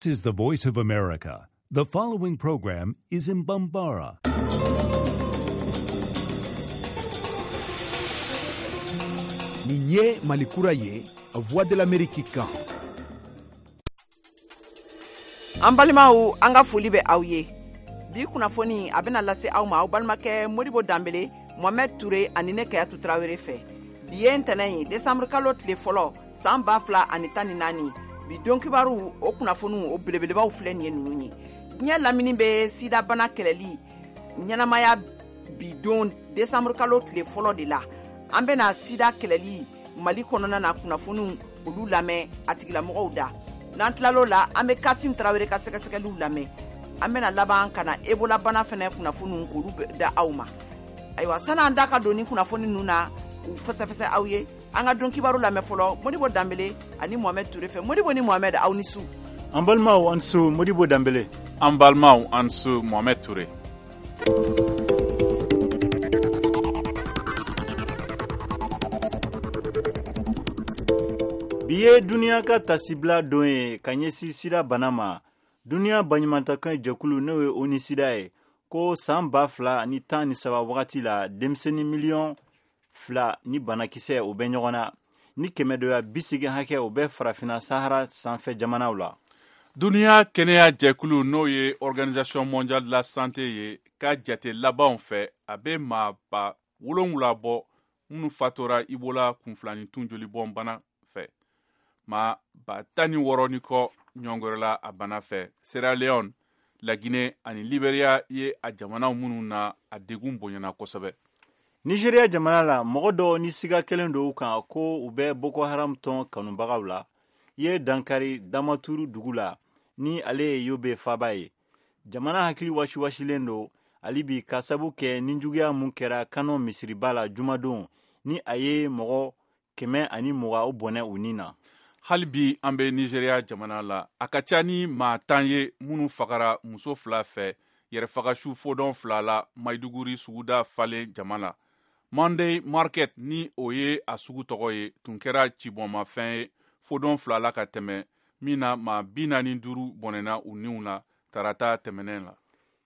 This is the Voice of America. The following program is in Bambara. Nin ye Mali kura ye, Voix de l'Amérique kan. An balimaw, an ka foli bɛ aw ye. Bi kunnafoni a bɛna lase aw ma aw balimakɛ Modibo Danbele, Mohamed Toure ani ne Kayatu Tarawele fɛ. Bi ye ntɛnɛn ye, décembre kalo tile fɔlɔ, san 2014. Bi don kibaru o kunnafoniw o belebelebaw filɛ nin ye ninnu ye. Diɲɛ lamini bɛ sidabana kɛlɛli ɲɛnamaya bi don décembre kalo tile fɔlɔ de la. An bɛna sida kɛlɛli Mali kɔnɔna na kunnafoniw olu lamɛn a tigilamɔgɔw da. N'an tilal'o la, an bɛ Kasim Tarawele ka sɛgɛsɛgɛliw lamɛn. An bɛna laban ka na Ebola bana fɛnɛ kunnafoniw k'olu da aw ma. Ayiwa, san'an da ka don ni kunnafoni ninnu na k'u fɛsɛfɛsɛ aw ye, an ka don kibaru lamɛn fɔlɔ Modibo Danbele ani Mohamed Toure fɛ. Modibo ni Mohamed, aw ni su. An balimaw, an su Modibo Danbele. An balimaw, an su Mohamed Toure. Bi ye duniya ka tasibila don ye ka ɲɛsin sida bana ma. Duniya baɲumantakan jɛkulu n'o ye ONU sida ye ko san 2013 wagati la denmisɛnnin miliyɔn 2 ni banakisɛ o bɛ ɲɔgɔn na ni kɛmɛdoya bi segin hakɛ o bɛ farafinna Sahara sanfɛ jamanaw la. Duniya kɛnɛya jɛkulu n'o ye Organisation mondiale de la santé ye ka jate labanw fɛ, a bɛ maa 7,000 bɔ minnu fatura Ebola kunfilanitun jolibɔn bana fɛ. Maa 16,000 ni kɔ ɲɔngɔrɔla a bana fɛ. Sierra Leone, La Guinée ani Liberia ye a jamanaw minnu na a degun bonyana kosɛbɛ. Nigeria jamana la, mɔgɔ dɔw ni siga kɛlen don u kan ko u bɛ Boko Haram tɔn kanubagaw la ye dankari Damaturu dugu la ni ale ye Yobe faaba ye. Jamana hakili wasiwasilen don hali bi ka sabu kɛ ninjuguya mun kɛra Kano misiriba la jumadon ni a ye mɔgɔ 120 o bɔnɛ u ni na. Hali bi an bɛ Nigeria jamana la, a ka ca ni maa 10 ye minnu fagara muso 2 fɛ yɛrɛfagasu fodɔn 2 la Maiduguri suguda falen jama la. Monday Market ni o ye a sugu tɔgɔ ye tun kɛra cibɔnmafɛn ye fodɔn 2 la ka tɛmɛ min na maa 45 bɔnɛna u niw la tarata tɛmɛnen la.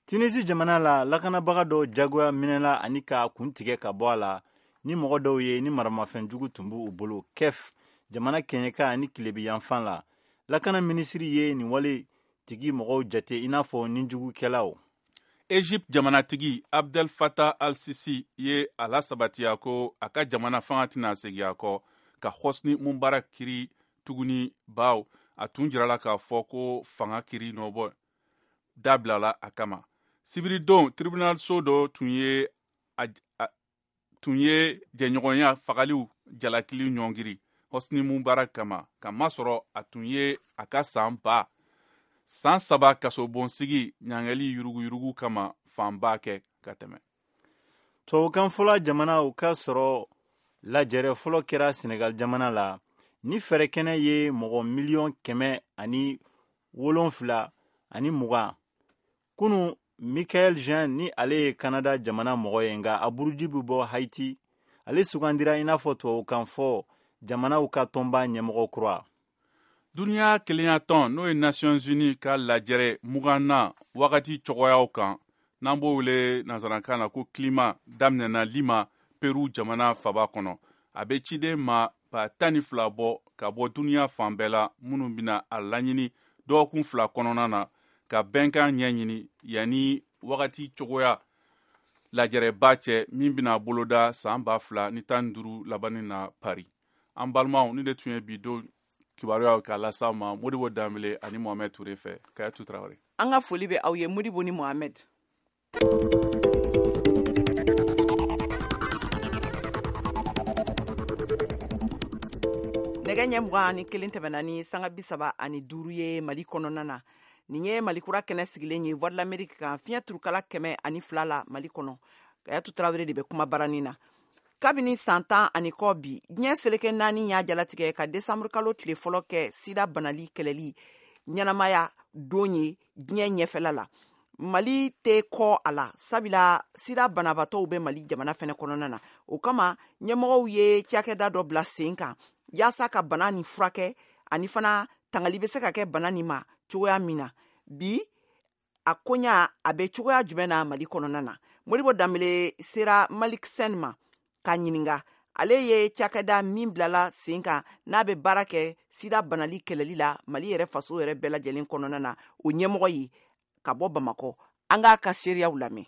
Tunisi jamana la, lakanabaga dɔw jagoya minɛla ani k'a kun tigɛ ka bɔ a la ni mɔgɔ dɔw ye ni maramafɛn jugu tun b'u bolo Kef jamana kɛɲɛka ani tilebi yanfan la. Lakana minisiri ye nin wale tigi mɔgɔw jate i n'a fɔ nijugukɛlaw. Egypte jamanatigi Abdel Fattah al-Sisi ye a lasabatiya ko a ka jamana fanga tɛna segin a kɔ ka Hosni Mubarak kiri tuguni, baw a tun jirala k'a fɔ ko fanga kiri nɔbɔ dabilala a kama. Sibiridon tribunal so dɔ tun ye jɛɲɔgɔnya fagaliw jalakili ɲɔngiri Hosni Mubarak kama, k'a masɔrɔ a tun ye a ka san 3 kasobonsigi ɲangɛli yuruguyurugu kama fanba kɛ ka tɛmɛ. Tubabukan fɔla jamanaw ka sɔrɔ lajɛrɛ fɔlɔ kɛra Senegal jamana la ni fɛɛrɛ kɛnɛ ye mɔgɔ miliyɔn 720. Kunu Michaëlle Jean ni ale ye Canada jamana mɔgɔ ye nka a buruji bɛ bɔ Haiti, ale sugandira i n'a fɔ tubabukan fɔ jamanaw ka tɔnba ɲɛmɔgɔ kura. Duniya kelenya tɔn n'o ye Nations Unies ka lajɛrɛ 20nan wagati cogoyaw kan n'an b'o wele nanzarakan na ko climat daminɛna Lima, Peru jamana faba kɔnɔ. A bɛ ciden maa 12,000 bɔ ka bɔ duniya fan bɛɛ la minnu bɛna a laɲini dɔgɔkun 2 kɔnɔna na ka bɛnkan ɲɛɲini yanni wagati cogoya lajɛrɛba cɛ min bɛna boloda san 2015 labanni na Paris. An balimaw, ni de tun ye bi don kibaruyaw k'a lase aw ma Modibo Danbele ani Mohamed Toure fɛ. Kayatu Tarawele. An ka foli bɛ aw ye Modibo ni Mohamed. Nɛgɛ ɲɛ 21 tɛmɛna ni sanga 35 ye Mali kɔnɔna na. Nin ye Mali kura kɛnɛ sigilen ye Voix de l'Amérique kan fiɲɛ turukala 102 la Mali kɔnɔ. Kayatu Tarawele de bɛ kuma barani na. Kabini san 10 ani kɔ bi, diɲɛ seleke 4 y'a jalatigɛ ka décembre kalo tile fɔlɔ kɛ sida banali kɛlɛli ɲɛnamaya don ye diɲɛ ɲɛfɛla la. Mali tɛ kɔ a la, sabula sida banabaatɔw bɛ Mali jamana fɛnɛ kɔnɔna na. O kama ɲɛmɔgɔw ye cakɛda dɔ bila sen kan yaasa ka bana nin furakɛ ani fana tangali bɛ se ka kɛ bana nin ma cogoya min na. Bi a koɲa a bɛ cogoya jumɛn na Mali kɔnɔna na? Modibo Danbele sera Malik Sène ma k'a ɲininka. Ale ye cakɛda min bilala sen kan n'a bɛ baara kɛ sida banali kɛlɛli la Mali yɛrɛ faso yɛrɛ bɛɛ lajɛlen kɔnɔna na, o ɲɛmɔgɔ ye ka bɔ Bamakɔ. An k'a ka seereyaw lamɛn.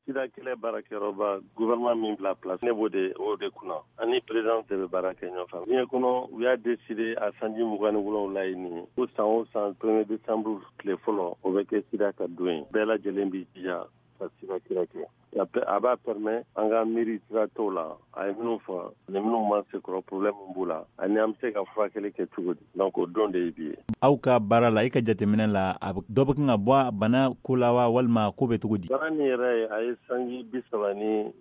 Sida kɛlɛ baarakɛyɔrɔba, gouvernement min bila place, ne b'o de o de kunna, ani président de bɛ baara kɛ ɲɔgɔn fɛ. Diɲɛ kɔnɔ, u y'a décidé a sanji 27 ye nin ye ko san o san, 1er décembre tile fɔlɔ, o bɛ kɛ sida ka don ye. Bɛɛ lajɛlen b'i jija ka sida kɛlɛ kɛ. A b'a permet an ka miiri sira tɔw la, a ye minnu fɔ ani minnu ma se kɔrɔ, problème b'u la, ani an bɛ se ka furakɛli kɛ cogo di. Donc o don de ye bi ye. Aw ka baara la, i ka jateminɛ la, a dɔ bɛ kan ka bɔ bana ko la wa, walima ko bɛ cogo di? Bana nin yɛrɛ, a ye sanji 34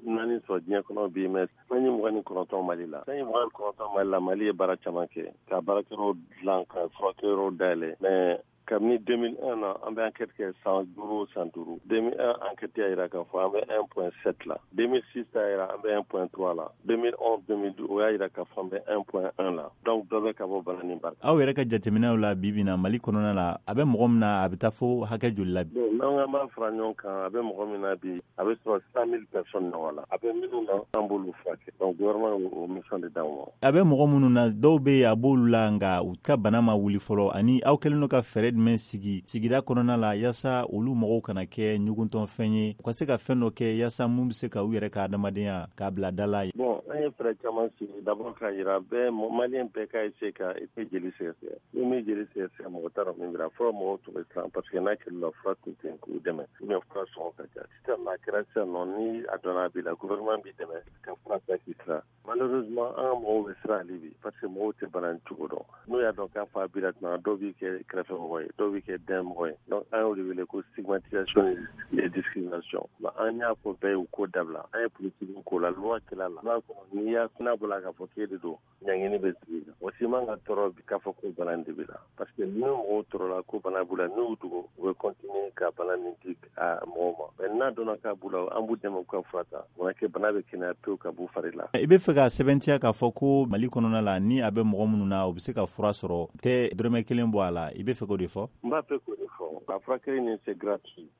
sɔrɔ diɲɛ kɔnɔ bi, mais sanji 29 Mali la. Sanji 29 Mali la, Mali ye baara caman kɛ ka baarakɛyɔrɔw dilan, ka furakɛyɔrɔw dayɛlɛ, mais kabini 2001 na, an bɛ enquête kɛ san 5 o san 5. 2001 enquête y'a yira k'a fɔ an bɛ 1.7 la. 2006 y'a yira an bɛ 1.3 la. 2011, 2012, o y'a yira k'a fɔ an bɛ 1.1 la. Donc dɔ bɛ ka bɔ bana nin barika. Aw yɛrɛ ka jateminɛw la, bi bi na, Mali kɔnɔna la, a bɛ mɔgɔ min na, a bɛ taa fo hakɛ joli la bi? Bon, n'an k'an b'a fara ɲɔgɔn kan, a bɛ mɔgɔ min na bi, a bɛ sɔrɔ 100 000 personnes ɲɔgɔn la. A bɛ minnu na, an b'olu furakɛ. Donc gouvernement y'o mission de d'anw ma. A bɛ mɔgɔ minnu na, dɔw bɛ yen, a b'olu la, nka u ka bana ma wuli fɔlɔ. Ani aw kɛlen don ka fɛɛrɛ jumɛn sigi sigida kɔnɔna la yaasa olu mɔgɔw kana kɛ ɲuguntɔnfɛn ye, u ka se ka fɛn dɔ kɛ yaasa mun bɛ se ka u yɛrɛ ka adamadenya k'a bila da la? Bon, an ye fɛɛrɛ caman sigi. D'abord, k'a yira bɛɛ, Malien bɛɛ ka essayer ka i jeli sɛgɛsɛgɛ. Ni min jeli sɛgɛsɛgɛ, mɔgɔ t'a dɔn min b'i la. Fɔlɔ, mɔgɔw tun bɛ siran parce que n'a kɛl'u la, fura tun tɛ yen k'u dɛmɛ, ou bien fura sɔngɔ ka ca. Sisan a kɛra sisan nɔ, ni a dɔnna a b'i la, gouvernement b'i dɛmɛ ka fura ta k'i sira. Malheureusement, an ka mɔgɔw bɛ siran hali bi parce que mɔgɔw tɛ bana nin cogo dɔn. N'u y'a dɔn k'a fɔ a b'i la tuma, dɔw b'i kɛ kɛrɛfɛmɔgɔ ye, dɔw b'i kɛ dɛn mɔgɔ ye. Donc an y'o de wele ko stigmatisation et discrimination. An y'a fɔ bɛɛ ye, u k'o dabila. An ye politique k'o la, loi kɛla la. N'a kɔnɔ, n'i y'a n'a bɔra k'a fɔ k'e de don, ɲangini bɛ sigi kan. Mɔgɔ si man ka tɔɔrɔ bi k'a fɔ ko bana nin de b'i la, parce que ni mɔgɔw tɔɔrɔla ko bana b'u la, n'u y'u dogo, u bɛ continuer ka bana nin di a mɔgɔw ma. Mais n'a dɔnna k'a b'u la, an b'u dɛmɛ u ka fura ta, o na kɛ bana bɛ kɛnɛya pewu ka b'u fari la. I bɛ fɛ ka sɛbɛntiya k'a fɔ ko Mali kɔnɔna la, ni a bɛ mɔgɔ minnu na, u bɛ se ka fura sɔrɔ, tɛ dɔrɔmɛ kelen bɔ a la, i bɛ fɛ k'o de fɔ? N b'a fɛ k'o de fɔ. A furakɛli nin, c'est gratuit,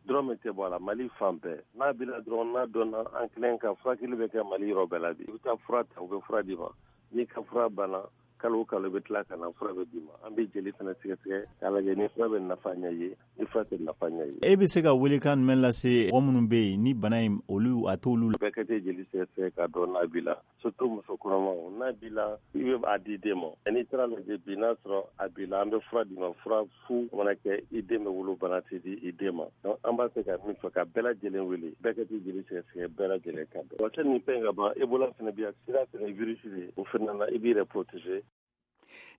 dɔrɔmɛ tɛ bɔ a la Mali fan bɛɛ. N'a b'i la dɔrɔn, n'a dɔnna, an kelen ka furakɛli bɛ kɛ Mali yɔrɔ bɛɛ la bi. I bɛ taa fura ta, u bɛ fura d'i ma. N'i ka fura banna, kalo o kalo, i bɛ tila ka na, fura bɛ d'i ma. An bɛ jeli fana sɛgɛsɛgɛ k'a lajɛ ni fura bɛ nafa ɲɛ ye, ni fura tɛ nafa ɲɛ ye. E bɛ se ka welekan jumɛn lase mɔgɔ minnu bɛ yen ni bana in, olu a t'olu la? Bɛɛ ka tɛ jeli sɛgɛsɛgɛ k'a dɔn n'a b'i la, surtout muso kɔnɔmaw. N'a b'i la, i bɛ a di den ma. N'i taara lajɛ bi, n'a sɔrɔ a b'i la, an bɛ fura d'i ma, fura fu mana kɛ, i den bɛ wolo, bana tɛ di i den ma. Donc an b'a fɛ ka min fɔ, ka bɛɛ lajɛlen wele, bɛɛ ka t'i jeli sɛgɛsɛgɛ, bɛɛ lajɛlen ka dɔn wa nin fɛn ka ban. Ebola fana bi yan, sida fana, virus de o fana na, i b'i yɛrɛ protéger.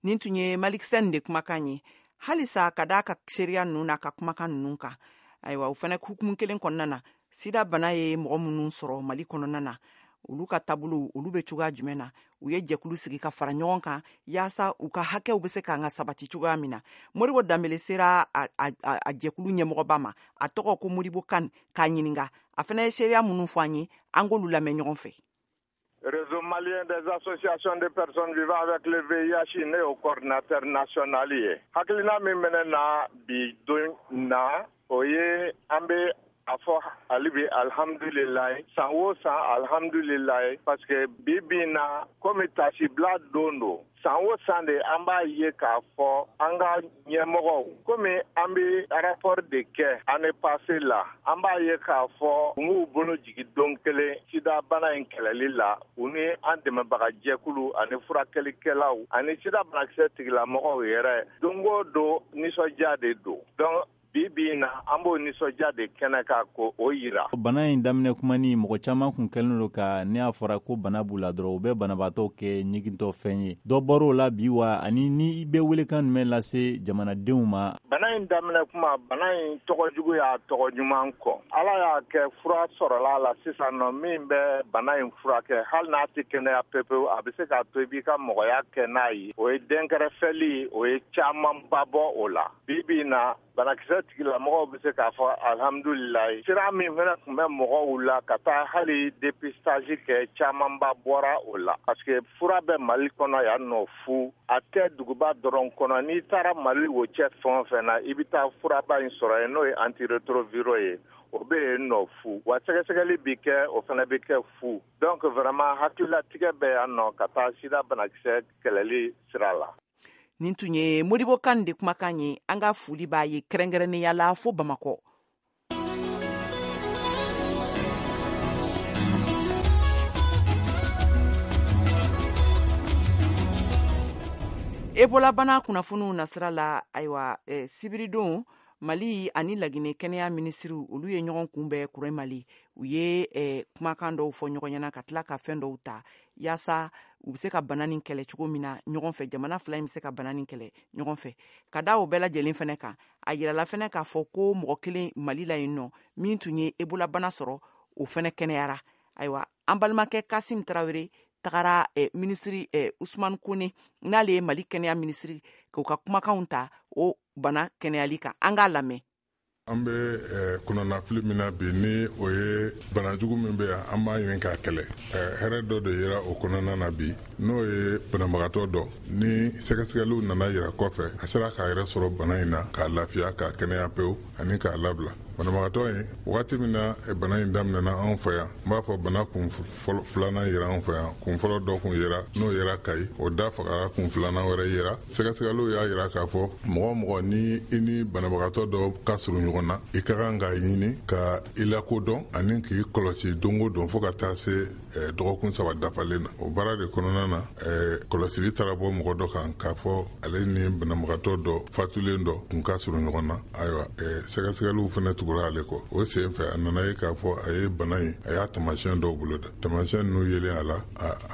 Nin tun ye Malik Sène de kumakan ye. Halisa, ka d'a ka seereya ninnu n'a ka kumakan ninnu kan, ayiwa, o fana hukumu kelen kɔnɔna na, sida bana ye mɔgɔ minnu sɔrɔ Mali kɔnɔna na, olu ka taabolo, olu bɛ cogoya jumɛn na? U ye jɛkulu sigi ka fara ɲɔgɔn kan yaasa u ka hakɛw bɛ se k'an ka sabati cogoya min na. Modibo Danbele sera a jɛkulu ɲɛmɔgɔba ma, a tɔgɔ ko Modibo Kan, k'a ɲininka. A fana ye seereya minnu fɔ an ye, an k'olu lamɛn ɲɔgɔn fɛ. Réseau malien des associations de personnes vivant avec le VIH, ne y'o coordinateur national ye. Hakilina min bɛ ne na bi don na, o ye an bɛ a fɔ hali bi alihamudulilayi, san o san alihamudulilayi, parce que bi bi in na, komi tasibila don don, san o san de an b'a ye k'a fɔ an ka ɲɛmɔgɔw, komi an bɛ rapport de kɛ année passée la, an b'a ye k'a fɔ u m'u bolo jigin don kelen sida bana in kɛlɛli la. U ni an dɛmɛbaga jɛkulu ani furakɛlikɛlaw ani sida banakisɛ tigilamɔgɔw yɛrɛ, don o don nisɔndiya de don. Donc bi bi in na, an b'o nisɔndiya de kɛnɛ kan ko o yira. Bana in daminɛ kuma ni mɔgɔ caman kun kɛlen don ka, ne y'a fɔra ko bana b'u la dɔrɔn, u bɛ banabaatɔ kɛ ɲigintɔ fɛn ye. Dɔ bɔr'o la bi wa? Ani ni i bɛ welekan jumɛn lase jamanadenw ma? Bana in daminɛ kuma, bana in tɔgɔ jugu y'a tɔgɔ ɲuman kɔ. Ala y'a kɛ, fura sɔrɔla la sisan nɔ min bɛ bana in furakɛ. Hali n'a tɛ kɛnɛya pepewu, a bɛ se k'a to i b'i ka mɔgɔya kɛ n'a ye. O ye dɛnkɛrɛfɛli, o ye camanba bɔ o la. Bi bi in na, banakisɛ Sida tigilamɔgɔw bɛ se k'a fɔ alhamdulilayi. Sira min fana tun bɛ mɔgɔw la ka taa hali dépistage kɛ, camanba bɔra o la. Parce que fura bɛ Mali kɔnɔ yan nɔ fu. A tɛ duguba dɔrɔn kɔnɔ. N'i taara Mali o cɛ fɛn o fɛn na, i bɛ taa furaba in sɔrɔ yen, n'o ye antirétroviraux ye. O bɛ yen nɔ fu. Wa sɛgɛsɛgɛli bi kɛ, o fana bɛ kɛ fu. Donc vraiment hakililatigɛ bɛ yan nɔ ka taa sida banakisɛ kɛlɛli sira la. Nin tun ye Modibo Kane de kumakan ye. An ka foli b'a ye kɛrɛnkɛrɛnnenya la fo Bamakɔ. Ebola bana kunnafoniw nasira la, ayiwa, sibiridon Mali ani Lagine kɛnɛya minisiriw olu ye ɲɔgɔn kunbɛn Kure Mali. U ye kumakan dɔw fɔ ɲɔgɔn ɲɛna ka tila ka fɛn dɔw ta yaasa u bɛ se ka bana nin kɛlɛ cogo min na ɲɔgɔn fɛ. Jamana fila in bɛ se ka bana nin kɛlɛ ɲɔgɔn fɛ. Ka da o bɛɛ lajɛlen fɛnɛ kan, a yirala fɛnɛ k'a fɔ ko mɔgɔ kelen Mali la yen nɔ min tun ye Ebola bana sɔrɔ, o fɛnɛ kɛnɛyara. Ayiwa, an balimakɛ Kasim Tarawele tagara minisiri Usman Kone, n'ale ye Mali kɛnɛya minisiri, k'u ka kumakanw ta o bana kɛnɛyali kan. An k'a lamɛn. An bɛ kunnafili min na bi, ni o ye banajugu min bɛ yan, an b'a ɲini k'a kɛlɛ. Hɛrɛ dɔ de yera o kɔnɔna na bi, n'o ye banabagatɔ dɔ ni sɛgɛsɛgɛliw nana yira kɔfɛ, a sera k'a yɛrɛ sɔrɔ bana in na, k'a lafiya, k'a kɛnɛya pewu ani k'a labila. Banabagatɔ in, wagati min na bana in daminɛna anw fɛ yan, n b'a fɔ bana kun filanan yera anw fɛ yan. Kun fɔlɔ dɔ kun yera, n'o yera Kayi, o da fagara, kun filanan wɛrɛ yera. Sɛgɛsɛgɛliw y'a yira k'a fɔ mɔgɔ mɔgɔ ni i ni banabagatɔ dɔ ka surun ɲɔgɔn na, i ka kan k'a ɲini ka i lakodɔn ani k'i kɔlɔsi don o don fo ka taa se dɔgɔkun 3 dafalen na. O baara de kɔnɔna na, kɔlɔsili taara bɔ mɔgɔ dɔ kan k'a fɔ ale ni banabagatɔ dɔ fatulen dɔ kun ka surun ɲɔgɔn na. Ayiwa, sɛgɛsɛgɛliw fana tugura ale kɔ. O sen fɛ, a nana ye k'a fɔ a ye bana in, a y'a taamasiyɛn dɔw bolo da. Taamasiyɛn ninnu yelen a la,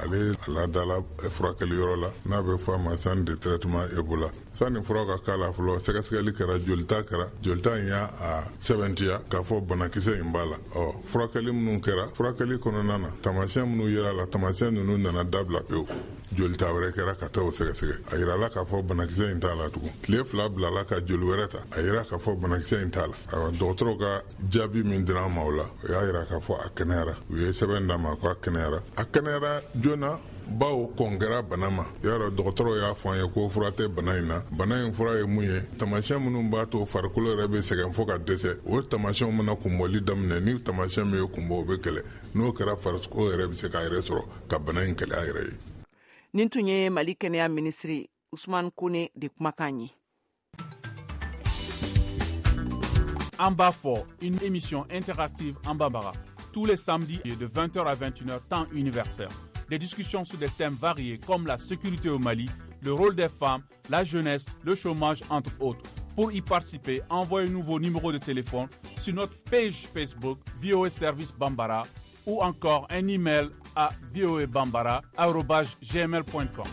ale ladala furakɛliyɔrɔ la, n'a bɛ fɔ a ma centre de traitement Ebola. Sani fura ka k'a la fɔlɔ, sɛgɛsɛgɛli kɛra, jolita kɛra. Jolita in y'a sɛbɛntiya k'a fɔ banakisɛ in b'a la. Ɔ, furakɛli minnu kɛra, furakɛli kɔnɔna na, taamasiyɛn minnu yera a la, taamasiyɛn ninnu nana dabila pewu. Jolita wɛrɛ kɛra ka taa o sɛgɛsɛgɛ, a yirala k'a fɔ banakisɛ in t'a la tugun. Tile 2 bilala ka joli wɛrɛ ta, a yira k'a fɔ banakisɛ in t'a la. Ayiwa, dɔgɔtɔrɔw ka jaabi min dira an ma o la, o y'a yira k'a fɔ a kɛnɛyara. U ye sɛbɛn d'a ma ko a kɛnɛyara. A kɛnɛyara joona, bawo kɔn kɛra bana ma. Yarɔ, dɔgɔtɔrɔw y'a fɔ an ye ko fura tɛ bana in na. Bana in fura ye mun ye? Taamasiyɛn minnu b'a to farikolo yɛrɛ bɛ sɛgɛn fo ka dɛsɛ, o taamasiyɛnw mana kunbɔli daminɛ, ni taamasiyɛn min ye kunbɔ, o bɛ kɛlɛ. N'o kɛra, farikolo yɛrɛ bɛ se k'a yɛrɛ sɔrɔ ka bana in kɛlɛ a yɛrɛ ye. Nin tun ye Mali kɛnɛya minisiri Usman Kone de kumakan ye. An b'a fɔ, une émission interactive en Bambara, tous les samedis de 20h à 21h, temps universel. Des discussions sur des thèmes variés comme la sécurité au Mali, le rôle des femmes, la jeunesse, le chômage, entre autres. Pour y participer, envoyez-nous vos numéros de téléphone sur notre page Facebook VOA Service Bambara ou encore un email à voabambara@gmail.com.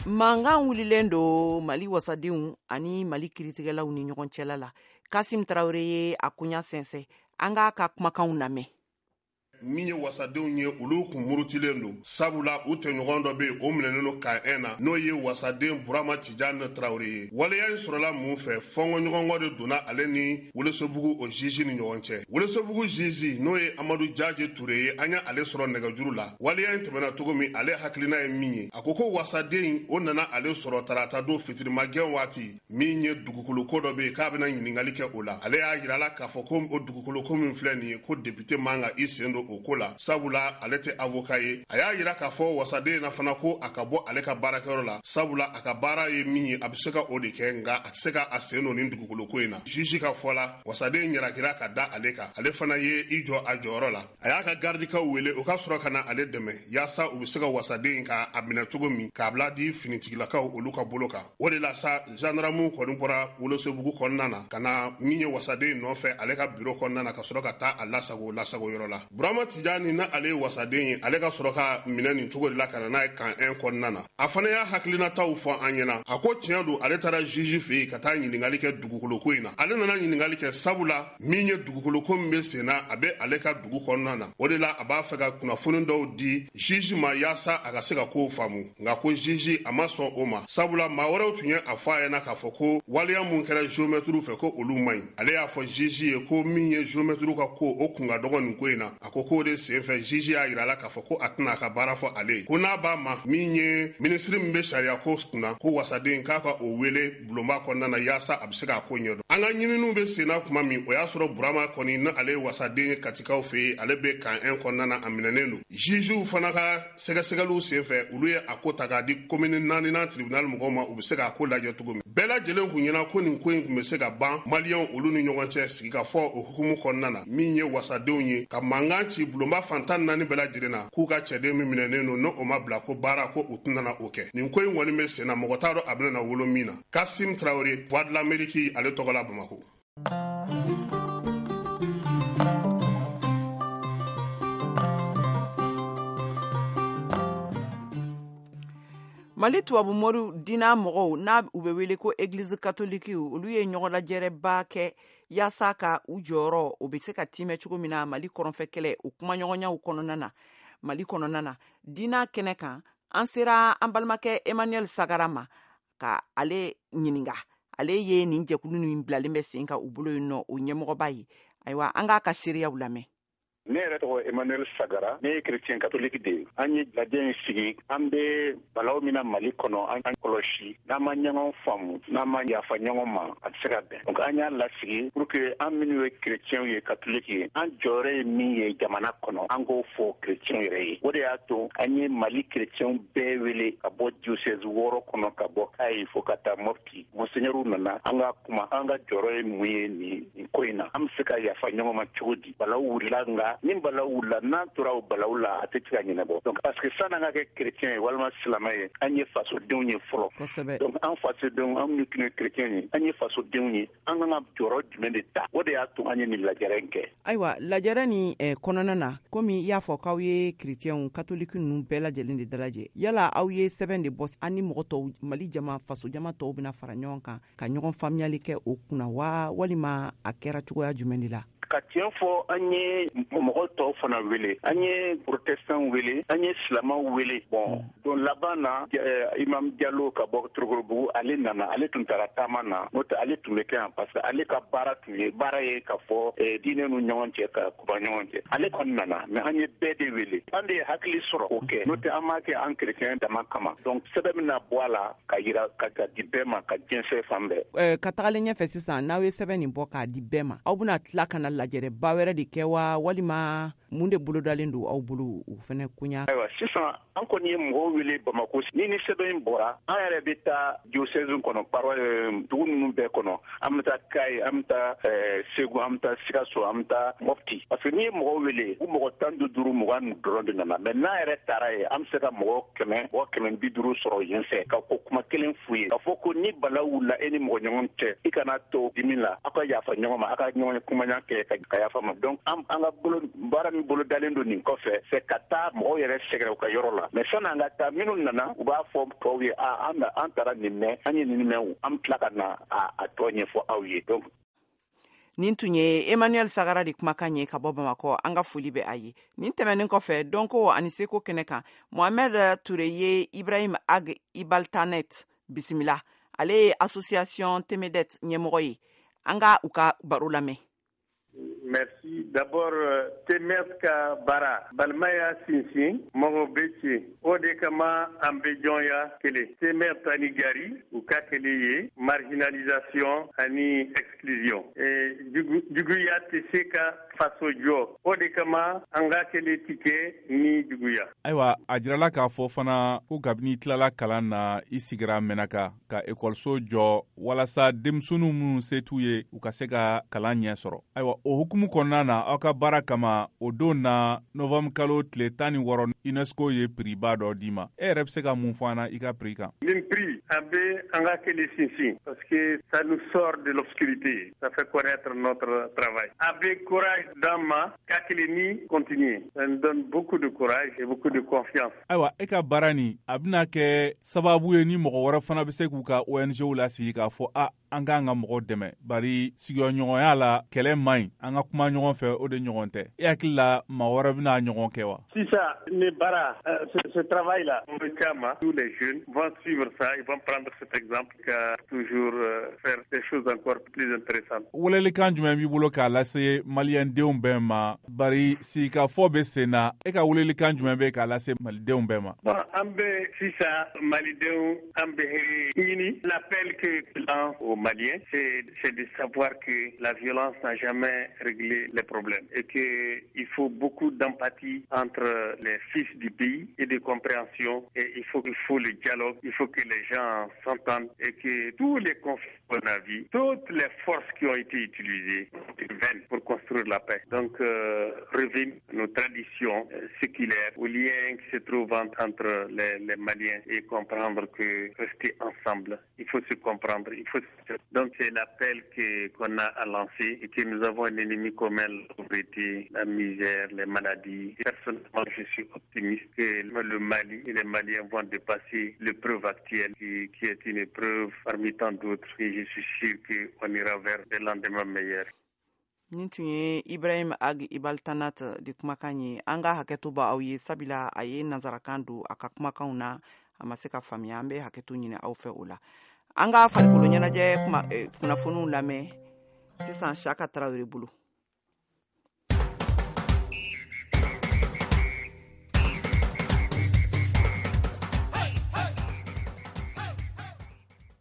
Mankan wulilen don Mali wasadenw ani Mali kiritigɛlaw ni ɲɔgɔn cɛla la. Kasim Tarawele ye a koɲa sɛnsɛn. An k'a ka kumakanw lamɛn. Min ye wasadenw ye, olu kun murutilen don, sabula u tɔɲɔgɔn dɔ bɛ yen, o minɛnen don kan 1 na, n'o ye wasaden Burama Tijani Tarawele ye. Waleya in sɔrɔla mun fɛ? Fɔnkɔɲɔgɔnkɔ de donna ale ni Welesebugu o juge ni ɲɔgɔn cɛ. Welesebugu juge, n'o ye Amadu Jaje Ture ye, an y'ale sɔrɔ nɛgɛjuru la. Waleya in tɛmɛna cogo min, ale hakilina ye min ye, a ko ko wasaden o nana ale sɔrɔ tarata don fitirimagɛn waati, min ye dugukoloko dɔ bɛ yen k'a bɛna ɲininkali kɛ o la. Ale y'a yira la k'a fɔ ko o dugukoloko min filɛ nin ye, ko député man ka i sen don o ko la, sabula ale tɛ avocat ye. A y'a yira k'a fɔ wasaden na fana ko a ka bɔ ale ka baarakɛyɔrɔ la, sabula a ka baara ye min ye, a bɛ se ka o de kɛ, nka a tɛ se ka a sen don nin dugukoloko in na. Juge ka fɔ la, wasaden ɲarakira ka da ale kan. Ale fana ye i jɔ a jɔyɔrɔ la. A y'a ka gardikaw wele, o ka sɔrɔ ka na ale dɛmɛ yaasa u bɛ se ka wasaden ka a minɛ cogo min, k'a bila di finitigilakaw olu ka bolo kan. O de la sa, gendarmew kɔni bɔra Welesebugu kɔnɔna na ka na min ye wasaden nɔfɛ ale ka biro kɔnɔna na, ka sɔrɔ ka taa a lasago lasago yɔrɔ la. Burama Burama Tijani na ale ye wasaden ye, ale ka sɔrɔ ka minɛ nin cogo de la ka na n'a ye camp 1 kɔnɔna na. A fana y'a hakilinataw fɔ an ɲɛna. A ko tiɲɛ don, ale taara juge fɛ yen ka taa ɲininkali kɛ dugukoloko in na. Ale nana ɲininkali kɛ sabula min ye dugukoloko min bɛ sen na, a bɛ ale ka dugu kɔnɔna na. O de la a b'a fɛ ka kunnafoni dɔw di juge ma yaasa a ka se ka kow faamu. Nka ko juge a ma sɔn o ma, sabula maa wɛrɛw tun ye a fɔ a ɲɛna k'a fɔ ko waleya mun kɛra géomètre fɛ, ko olu man ɲi. Ale y'a fɔ juge ye ko min ye géomètre ka ko, o kun ka dɔgɔ nin ko in na. A ko k'o de senfɛ juge y'a yira a la k'a fɔ ko a tɛna a ka baara fɔ ale ye, ko n'a b'a ma min ye minisiri min bɛ sariya ko kunna, ko wasaden k'a ka o wele bulonba kɔnɔna na yaasa a bɛ se k'a ko ɲɛdɔn. An ka ɲininiw bɛ senna tuma min, o y'a sɔrɔ Burama kɔni ni ale ye wasaden ye Katikaw fɛ yen, ale bɛ camp 1 kɔnɔna na, a minɛnen don. Jugew fana ka sɛgɛsɛgɛliw senfɛ, olu ye a ko ta k'a di commune 4nan tribunal mɔgɔw ma, u bɛ se k'a ko lajɛ cogo min. Bɛɛ lajɛlen kun ɲɛna ko nin ko in tun bɛ se ka ban Maliyɛnw olu ni ɲɔgɔn cɛ sigikafɔ o hukumu kɔnɔna na, min ye wasadenw ye ka mankan ci bulonba fan 14 bɛɛ lajɛlen na k'u ka cɛden min minɛnen don, n'o o ma bila ko baara, ko u tɛna o kɛ. Nin ko in kɔni bɛ sen na, mɔgɔ t'a dɔn a bɛna na wolo min na. Kasim Traoré, Voix de l'Amérique, ale tɔgɔ la Bamakɔ. Mali tubabu mori diina mɔgɔw n'a u bɛ wele ko Église catholique, olu ye ɲɔgɔnlajɛrɛba kɛ yaasa ka u jɔyɔrɔ o bɛ se ka timɛ cogo min na Mali kɔrɔnfɛ kɛlɛ o kumaɲɔgɔnyaw kɔnɔna na. Mali kɔnɔna na diina kɛnɛ kan, an sera an balimakɛ Emmanuel Sagara ma ka ale ɲininga. Ale ye nin jɛkulu min bilalen bɛ sen kan u bolo yen nɔ, o ɲɛmɔgɔba ye. Ayiwa, an k'a ka seereyaw lamɛn. Ne yɛrɛ tɔgɔ Emmanuel Sagara, ne ye chrétien catholique de ye. An ye lajɛ in sigi, an bɛ balaw min na Mali kɔnɔ, an kɔlɔsi, n'an ma ɲɔgɔn faamu, n'an ma yafa ɲɔgɔn ma, a tɛ se ka bɛn. Donc an y'a lasigi pour que an minnu ye chrétiens ye, catholique ye, an jɔyɔrɔ ye min ye jamana kɔnɔ, an k'o fɔ chrétiens yɛrɛ ye. O de y'a to an ye Mali chrétiens bɛɛ wele ka bɔ diocèse 6 kɔnɔ, ka bɔ Kayi fo ka taa Mopti. Monseigneur nana, an ka kuma, an ka jɔyɔrɔ ye mun ye nin ko in na, an bɛ se ka yafa ɲɔgɔn ma cogo di. Balaw wulila, nka ni balaw wulila, n'an tora o balaw la, a tɛ se ka ɲɛnabɔ. Donc parce que san'an ka kɛ chrétien ye walima silamɛ ye, an ye fasodenw ye fɔlɔ. Donc an fasodenw, an minnu tun ye chrétien ye, an ye fasodenw ye, an kan ka jɔyɔrɔ jumɛn de ta? O de y'a to an ye nin lajɛrɛ in kɛ. Ayiwa, lajɛrɛ nin kɔnɔna na, komi i y'a fɔ k'aw ye chrétienw catholique ninnu bɛɛ lajɛlen de dalajɛ, yala aw ye sɛbɛn de bɔ an ni mɔgɔ tɔw, Mali jama faso jama tɔw bɛna fara ɲɔgɔn kan ka ɲɔgɔn faamuyali kɛ o kunna wa, walima a kɛra cogoya jumɛn de la? Ka tiɲɛ fɔ, an ye mɔgɔ tɔw fana wele, an ye protestant wele, an ye silamɛw wele. Bon, don laban na, Imam Jalo ka bɔ Torokorobugu, ale nana. Ale tun taara taama na, n'o tɛ ale tun bɛ kɛ yan, parce que ale ka baara tun ye baara ye ka fɔ diinɛ n'u ɲɔgɔn cɛ, ka kuba ɲɔgɔn cɛ. Ale kɔni nana, mais an ye bɛɛ de wele. An de ye hakili sɔrɔ o kɛ, n'o tɛ an m'a kɛ an chrétien dama kama. Donc sɛbɛn bɛna bɔ a la ka yira ka di bɛɛ ma, ka jɛnsɛn fan bɛɛ. Ka tagalen ɲɛfɛ sisan, n'aw ye sɛbɛn nin bɔ k'a di bɛɛ ma, aw bɛna tila ka na lajɛrɛba wɛrɛ de kɛ wa, walima mun de bolodalen don aw bolo o fɛnɛ koɲa? Ayiwa, sisan an kɔni ye mɔgɔw wele Bamako. Ni sɛbɛn in bɔra, an yɛrɛ bɛ taa diocèse kɔnɔ, paroisse dugu ninnu bɛɛ kɔnɔ. An bɛ taa Kayi, an bɛ taa Segu, an bɛ taa Sikaso, an bɛ taa Mopti, parce que n'i ye mɔgɔw wele, u mɔgɔ 15, 20 dɔrɔn de nana. Mais n'a yɛrɛ taara yen, an bɛ se ka mɔgɔ 100, mɔgɔ 150 sɔrɔ yen fɛ, ka ko kuma kelen f'u ye, k'a fɔ ko ni balaw wulila e ni mɔgɔ ɲɔgɔn cɛ, i kana to dimi la, aw ka yafa ɲɔgɔn ma, aw ka ɲɔgɔn kumaɲa kɛ ka yafa ma. Donc an ka bolo baara min bolo dalen don nin kɔfɛ, c'est ka taa mɔgɔw yɛrɛ sɛgɛrɛ u ka yɔrɔ la. Mais sanni an ka taa, minnu nana, u b'a fɔ tɔw ye: a an an taara nin mɛn, an ye nin mɛn, an bɛ tila ka na a tɔ ɲɛfɔ aw ye. Donc Nin tun ye Emmanuel Sagara de kumakan ye ka bɔ Bamakɔ. An ka foli bɛ a ye. Nin tɛmɛnen kɔfɛ, dɔnko ani seko kɛnɛ kan, Mohamed Ture ye Ibrahim Ag Ibaltanet bisimila. Ale ye association Temedet ɲɛmɔgɔ ye. An ka u ka baro lamɛn. Merci. D'abord, Temet ka baara balimaya sinsin, mɔgɔ bɛ ci, o de kama an bɛ jɔnya kelen. Temet ani Gari, u ka kelen ye marginalisation ani exclusion. Juguya tɛ se ka faso jɔ, o de kama an ka kelen ti kɛ ni juguya. Ayiwa, a jirala k'a fɔ fana ko kabini i tilala kalan na, i sigira Mɛnaka ka ekɔliso jɔ walasa denmisɛnninw minnu se t'u ye, u ka se ka kalan ɲɛ sɔrɔ. Ayiwa, o hukumu kɔnɔna na, aw ka baara kama, o don na, novanburu kalo tile 16, UNESCO ye prix ba dɔ d'i ma. E yɛrɛ bɛ se ka mun fɔ an na i ka prix kan? Nin prix a bɛ an ka kɛlɛ sinsin parce que ça nous sort de l'obscurité, ça fait connaître notre travail. A bɛ courage d'an ma ka kɛlɛ ni continuer. Ça nous donne beaucoup de courage et beaucoup de confiance. Ayiwa, e ka baara nin, a bɛna kɛ sababu ye ni mɔgɔ wɛrɛ fana bɛ se k'u ka ONG lasigi k'a fɔ a an k'an ka mɔgɔw dɛmɛ, bari sigiɲɔgɔnya la kɛlɛ man ɲi, an ka kuma ɲɔgɔn fɛ, o de ɲɔgɔn tɛ. E hakili la maa wɛrɛ bɛna ɲɔgɔn kɛ wa? Sisan ni baara, ce travail là, caman, tous les jeunes vont suivre ça, ils vont prendre cet exemple ka toujours faire des choses encore plus intéressantes. Welelikan jumɛn b'i bolo k'a lase maliyɛndenw bɛɛ ma, bari sigikafɔ bɛ sen na? E ka welelikan jumɛn bɛ k'a lase malidenw bɛɛ ma? Bon, an bɛ sisan malidenw, an bɛ ɲini, l'appel que lance aux Maliens, c'est de savoir que la violence n'a jamais réglé les problèmes et que il faut beaucoup d'empathie entre les fils du pays et de compréhension, et il faut le dialogue, il faut que les gens s'entendent et que tous les conflits qu'on a vus, toutes les forces qui ont été utilisées vaines pour construire la paix. Donc, revenir à nos traditions séculaires, aux liens qui se trouvent entre les Maliens et comprendre que rester ensemble, il faut se comprendre, il faut se... Donc, c'est l'appel qu'on a à lancer et que nous avons un ennemi commun, la pauvreté, la misère, les maladies. Personnellement, je suis optimiste que le Mali et les Maliens vont dépasser l'épreuve actuelle qui est une épreuve parmi tant d'autres. Et je suis sûr qu'on ira vers des lendemains meilleurs. Nin tun ye Ibrahim Ag Ibaltanat de kumakan ye. An ka hakɛto b'aw ye, sabila a ye nansarakan don a ka kumakanw na, a ma se ka faamuya. An bɛ hakɛto ɲini aw fɛ o la. An ka farikolo ɲɛnajɛ kunnafoniw lamɛn sisan Saka Tarawele bolo.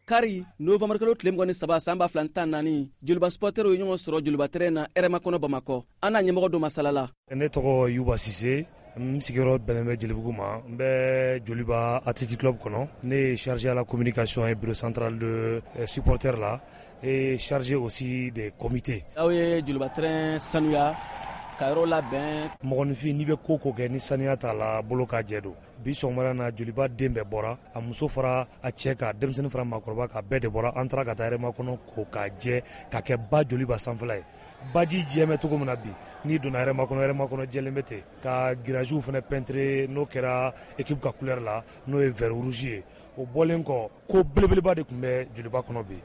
Kari novembre kalo tile 23 san 2014, Joliba supporterw ye ɲɔgɔn sɔrɔ Joliba terrain na Hɛrɛma kɔnɔ Bamakɔ. An n'a ɲɛmɔgɔ dɔ masala la. Ne tɔgɔ Yuba Sise, n sigiyɔrɔ bɛnnen bɛ Jelibugu ma. N bɛ Joliba Athletic Club kɔnɔ. Ne ye chargé à la communication et bureau central de supporters la et chargé aussi des comités. Aw ye Joliba terrain sanuya ka yɔrɔ labɛn. Mɔgɔninfin, n'i bɛ ko kɛ ni saniya t'a la, bolo ka jɛ don. Bi sɔgɔmada na, Joliba den bɛɛ bɔra, a muso fara a cɛ kan, denmisɛnnin fara maakɔrɔba kan, bɛɛ de bɔra. An taara ka taa Hɛrɛma kɔnɔ ko k'a jɛ ka kɛ ba Joliba sanfɛla ye. Baji jɛ bɛ cogo min na bi, n'i donna Hɛrɛma kɔnɔ, Hɛrɛma kɔnɔ jɛlen bɛ ten. Ka giragew fana peinture, n'o kɛra équipe ka couleur la, n'o ye vert rouge ye. O bɔlen kɔ, ko belebeleba de tun bɛ Joliba kɔnɔ bi,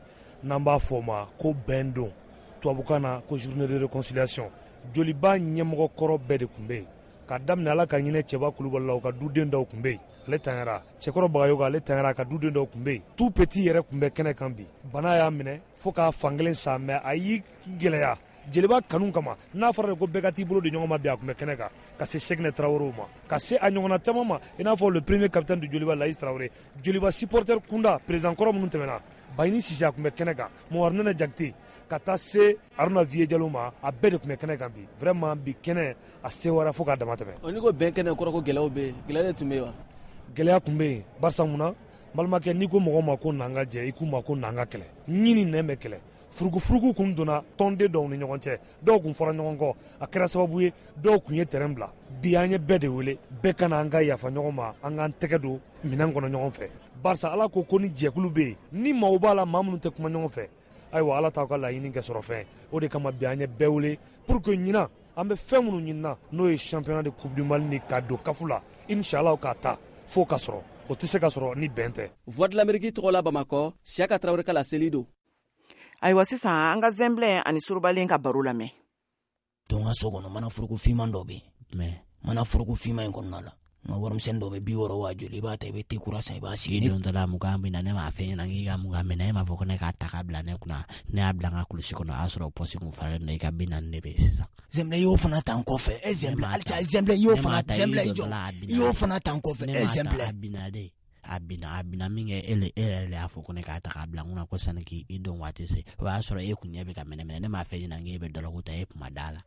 n'an b'a fɔ o ma ko bɛn don, tubabukan na ko journée de réconciliation. Joliba ɲɛmɔgɔ kɔrɔ bɛɛ de tun bɛ yen, ka daminɛ Ala ka ɲinɛ Cɛba Kulubali la, u ka duden dɔw tun bɛ yen, ale tanyara. Cɛkɔrɔ Bagayogo, ale tanyara, a ka duden dɔw tun bɛ yen. Tout petit yɛrɛ tun bɛ kɛnɛ kan bi. Bana y'a minɛ fo k'a fankelen sa, mais a y'i gɛlɛya Jeliba kanu kama. N'a fɔra de ko bɛɛ ka t'i bolo di ɲɔgɔn ma bi, a tun bɛ kɛnɛ kan, ka se Seginɛ Tarawelew ma, ka se a ɲɔgɔnna caman ma, i n'a fɔ le premier capitaine du Joliba, Laïs Traoré. Joliba supporter kunda, président kɔrɔ minnu tɛmɛna, Bayini Sise, a tun bɛ kɛnɛ kan, Momar Nɛnɛ Jakite, ka taa se Aruna Viye Jalo ma, a bɛɛ de tun bɛ kɛnɛ kan bi. Vraiment bi kɛnɛ a sewara fo k'a dama tɛmɛ. N'i ko bɛn kɛnɛ, kɔrɔ ko gɛlɛyaw bɛ yen. Gɛlɛya de tun bɛ yen wa? Gɛlɛya tun bɛ yen, barisa mun na, balimakɛ, n'i ko mɔgɔ ma ko n'an ka jɛ, i k'u ma ko n'an ka kɛlɛ. Ɲini nɛn bɛ kɛlɛ. Furugufurugu kun donna tɔnden dɔw ni ɲɔgɔn cɛ, dɔw kun fɔra ɲɔgɔn kɔ, a kɛra sababu ye dɔw kun ye terrain bila. Bi an ye bɛɛ de wele, bɛɛ ka na an ka yafa ɲɔgɔn ma, an k'an tɛgɛ don minɛn kɔnɔ ɲɔgɔn fɛ. Barisa Ala ko ko ni jɛkulu bɛ yen, ni maaw b'a la, maa minnu tɛ kuma ɲɔgɔn fɛ, ayiwa Ala t'aw ka laɲini kɛ sɔrɔ fɛn. O de kama bi an ye bɛɛ wele pour que ɲinan an bɛ fɛn minnu ɲinina, n'o ye championnat de coupe du Mali ni ka don CAF la, inchallah k'a ta fo ka sɔrɔ. O tɛ se ka sɔrɔ ni bɛn tɛ. Voix de l'Amérique tɔgɔ la Bamakɔ, Siaka Tarawele ka laseli don. Ayiwa, sisan an ka Zɛnbilɛn ani Surubalen ka baro lamɛn. Don ka so kɔnɔ, mana foroko finman dɔ bɛ yen. Mais mana foroko finman in kɔnɔna la, n ka warimisɛnnin dɔ bɛ 60 wa joli, i b'a ta, i bɛ te kura san, i b'a sigi. I dontɔ la 20 bɛ na, ne m'a fɛ ɲɛna k'i ka 20 minɛ, e m'a fɔ ko ne k'a ta k'a bila ne kunna. Ne y'a bila n ka kulusi kɔnɔ, o y'a sɔrɔ pɔsi kun faralen don, i ka 40 de bɛ yen sisan. Zɛnbilɛ, i y'o fana ta n kɔfɛ. E Zɛnbilɛ, halisa Zɛnbilɛ, i y'o fana Zɛnbilɛ, i jɔ, i y'o fana ta n kɔfɛ. E Zɛnbilɛ, a binna de. A binna min kɛ, e yɛrɛ de y'a fɔ ko ne k'a ta k'a bila n kunna ko sani k'i don waati se, o y'a sɔrɔ e kun ɲɛ bɛ ka mɛnɛ. Ne m'a fɛ ɲɛna k'e bɛ dɔlɔku ta, e kuma da la.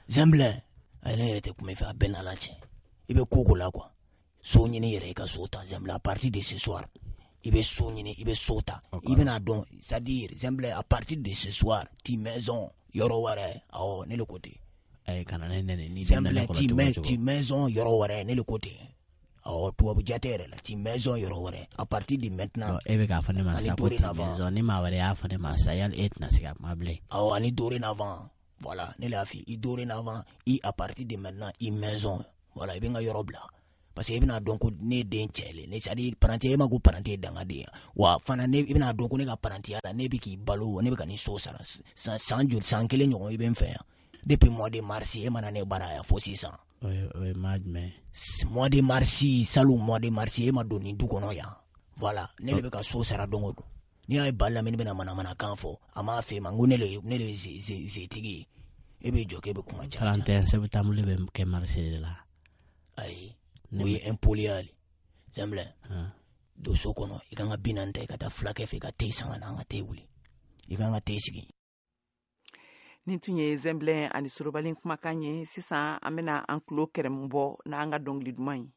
Zɛnbilɛ, ayi, ne yɛrɛ tɛ kuma i fɛ, a bɛɛ n'Ala cɛ. I bɛ ko ko la quoi. So ɲini yɛrɛ, i ka so ta Zɛnbilɛ, à partir de ce soir i bɛ so ɲini, i bɛ so ta. I bɛna dɔn, c'est à dire Zɛnbilɛ, à partir de ce soir ti maison yɔrɔ wɛrɛ. Awɔ, ne le ko ten. Ayi, kana ne nɛni. Zɛnbilɛ, ti maison yɔrɔ wɛrɛ, ne le ko ten. Awɔ, tubabu jate yɛrɛ la, ti maison yɔrɔ wɛrɛ à partir de maintenant. E bɛ k'a fɔ ne ma sisan ko ti maison, ni maa wɛrɛ y'a fɔ ne ma sisan, yali e tɛna se ka kuma bilen? Awɔ, ani dorénavant, voilà, ne y'a f'i i dorénavant, i à partir de maintenant i maison, voilà, i bɛ n ka yɔrɔ bila. Parce que i bɛna dɔn ko ne den cɛ le ne, c'est à dire parantiya, e ma ko parantiya ye dangaden ye wa fana, ne i bɛna dɔn ko ne ka parantiya la, ne bɛ k'i balo, ne bɛ ka nin so sara san joli, san kelen ɲɔgɔn i bɛ n fɛ yan depuis mois de mars, e mana ne bara yan fo sisan. O ye mois jumɛn? Mois de mars, salon mois de mars, e ma don nin du kɔnɔ yan, voilà, ne de bɛ ka so sara don o don. N'i y'a ye ba lamini bɛna manamanakan fɔ, a m'a fɛ ma, n ko ne de ye zetigi ye, e bɛ jɔ k'e bɛ kuma ca. 31 septembre bɛ kɛ mars de la. Ayi, o ye impoliya le Zɛnbilɛ. Don so kɔnɔ, i kan ka 40 ta, i ka taa fulakɛ fɛ, i ka te san ka na, an ka te wuli, i kan ka te sigi. Nin tun ye Zɛnbilɛ ani Sorobalen kumakan ye. Sisan an bɛna an tulo kɛrɛmu bɔ n'an ka dɔnkili duman ye.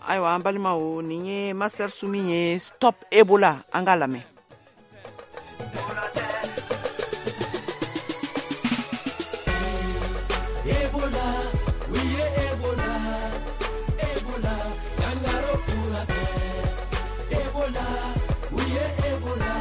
Ayiwa, an balimaw, nin ye Master Sumi ye, Stop Ebola, an k'a lamɛn. Ebola, oui Ebola, Ebola, jangaro furakɛ. Ebola, oui Ebola,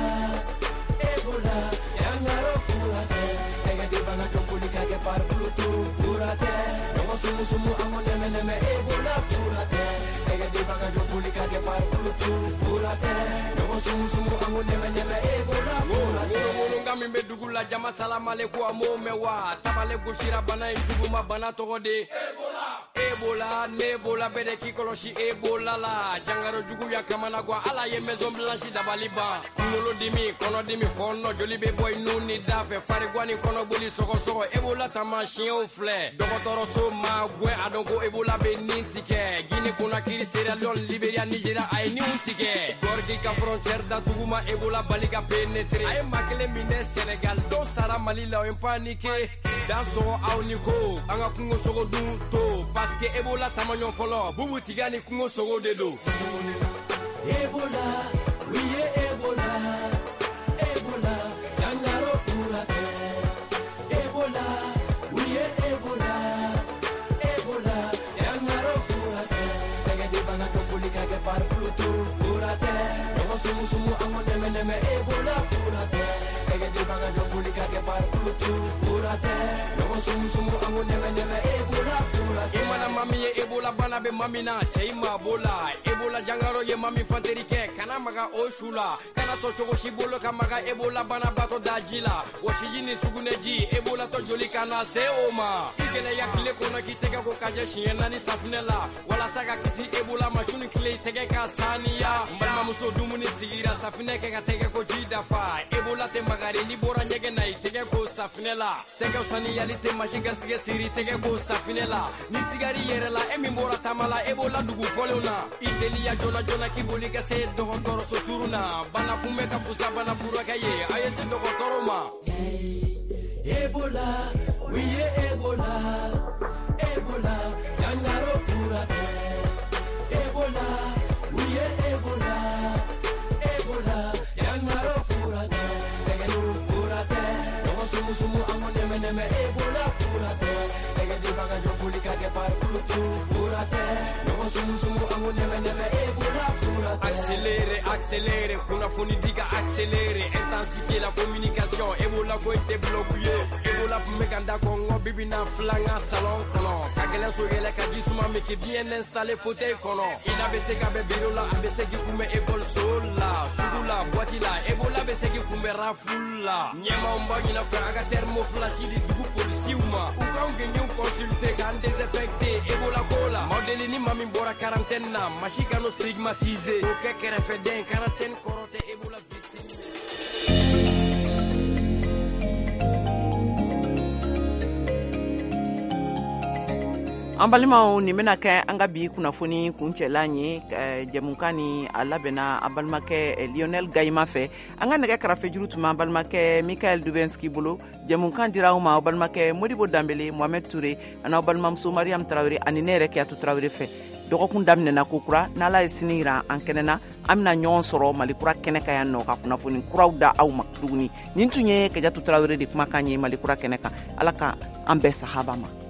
Ebola, jangaro furakɛ. Tɛgɛ di bana jɔ foli ka kɛ par Bluetooth furakɛ. Ɲɔgɔn sumu sumu an ko nɛmɛ nɛmɛ Ebola furakɛ. Tɛgɛ di bana jɔ foli ka kɛ par Bluetooth furakɛ. Ɲɔgɔn sumu sumu an ko nɛmɛ nɛmɛ Ebola furakɛ. Ŋono min bɛ dugu la, jama salamaleku a m'o mɛn wa. Tabale gosira bana in juguma, bana tɔgɔ de Ebola. Ebola, ne Ebola bɛɛ de k'i kɔlɔsi Ebola la. Jangaro juguya kamana gan, Ala ye maison blanche dabali ban. Kunkolodimi, kɔnɔdimi, fɔɔnɔ, joli bɛ bɔ i nun ni da fɛ, farigwan ni kɔnɔboli, sɔgɔsɔgɔ, Ebola taamasiyɛnw filɛ. Dɔgɔtɔrɔso ma gwɛn a dɔn ko Ebola bɛ nin tigɛ. Guinée Conakry, Sierra Leone, Liberia, Nigeria, a ye ninw tigɛ. Gorgui ka frontière datugu ma Ebola bali ka pénétrer. A ye maa kelen minɛ Sénégal, dɔw sara Mali la, o ye paniqué. Dan sɔgɔ aw ni ko, an ka kungo sogo dun to, parce que Ebola tamaɲɔgɔn fɔlɔ, bubu tiga ni kungo sogo de don. Ebola, oui Ebola, Ebola, jangaro furakɛ. Ebola, oui Ebola, Ebola, jangaro furakɛ. Tɛgɛ di bana jɔ foli ka kɛ par Bluetooth furakɛ. Ɲɔgɔn sumu sumu an ko nɛmɛ nɛmɛ Ebola furakɛ. Tɛgɛ di bana jɔ foli ka kɛ par Bluetooth furakɛ. Ɲɔgɔn sumu sumu an ko nɛmɛ nɛmɛ Ebola furakɛ. I mana maa min ye Ebola bana bɛ maa min na, cɛ i maa b'o la. Ebola jangaro ye maa min fanteri kɛ, kana maga o su la. Kana sɔn cogo si bolo ka maga Ebola banabaatɔ daji la. Wɔsiji ni sugunɛji, Ebola tɔ joli kana se o ma. I gɛlɛya tile kɔnɔ k'i tɛgɛ ko ka jɛ siɲɛ 4 safunɛ la, walasa ka kisi Ebola ma. Su ni tile i tɛgɛ ka saniya. N balimamuso, dumuni sigira, safunɛ kɛ ka tɛgɛ ko ji dafa. Ebola tɛ magari, n'i bɔra ɲɛgɛn na i tɛgɛ ko safunɛ la. Tɛgɛw saniyali tɛ masi garisɛgɛ siri, tɛgɛ ko safunɛ la. Ni sigari yɛrɛ la, e min bɔra taama la Ebola dugu fɔlenw na, i teliya joona joona k'i boli ka se dɔgɔtɔrɔso surun na. Bana kunbɛ ka fusa bana furakɛ ye, a ye se dɔgɔtɔrɔ ma. Ebola, oui Ebola, Ebola, jangaro furakɛ. Ebola, oui Ebola, Ebola, jangaro furakɛ. Tɛgɛ furakɛ, ɲɔgɔn sumu sumu an ko nɛmɛ nɛmɛ Ebola furakɛ. Tɛgɛ di baga jɔ foli ka kɛ par Bluetooth furakɛ. Ɲɔgɔn sumu sumu an ko nɛmɛ nɛmɛ Ebola furakɛ. Accéléré, accéléré, kunnafoni di ka accéléré, intensifier la communication. Ebola ko tɛ bloqué. Ebola tun bɛ ka n da kɔngɔ bibi na filan ka salon kɔnɔ. Ka gɛlɛn so yɛlɛ ka ji suma min k'i bien installé fauteuil kɔnɔ. I da bɛ se ka bɛn bureau la, a bɛ se k'i kunbɛn école so la, sugu la, boîte la. Ebola bɛ se k'i kunbɛn rafle la. Ɲɛmaaw b'aw ɲin'a fɛ a ka thermoflash di dugu polisiw ma. U k'anw gɛnɲɛw consulter k'an désinfecter Ebola ko la. Maaw deli ni maa min bɔra quarantaine na, maa si kan'o stigmatiser. O kɛ kɛrɛfɛden, quarantaine kɔrɔ tɛ Ebola victime. An balimaw, nin bɛna kɛ an ka bi kunnafoni kuncɛlan ye. Jɛmukan ni a labɛnna an balimakɛ Lionel Gayima fɛ. An ka nɛgɛ karafejuru tun b'an balimakɛ Mikael Dubenski bolo. Jɛmukan dira aw ma aw balimakɛ Modibo Danbele, Mohamed Toure ani aw balimamuso Mariam Tarawele ani ne yɛrɛ Kiyatu Tarawele fɛ. Dɔgɔkun daminɛna ko kura, n'Ala ye sini yira an kɛnɛ na, an bɛna ɲɔgɔn sɔrɔ Mali kura kɛnɛ kan yan nɔ ka kunnafoni kuraw da aw ma tuguni. Nin tun ye Kajatu Tarawele de kumakan ye Mali kura kɛnɛ kan. Ala ka an bɛɛ sahaba ma.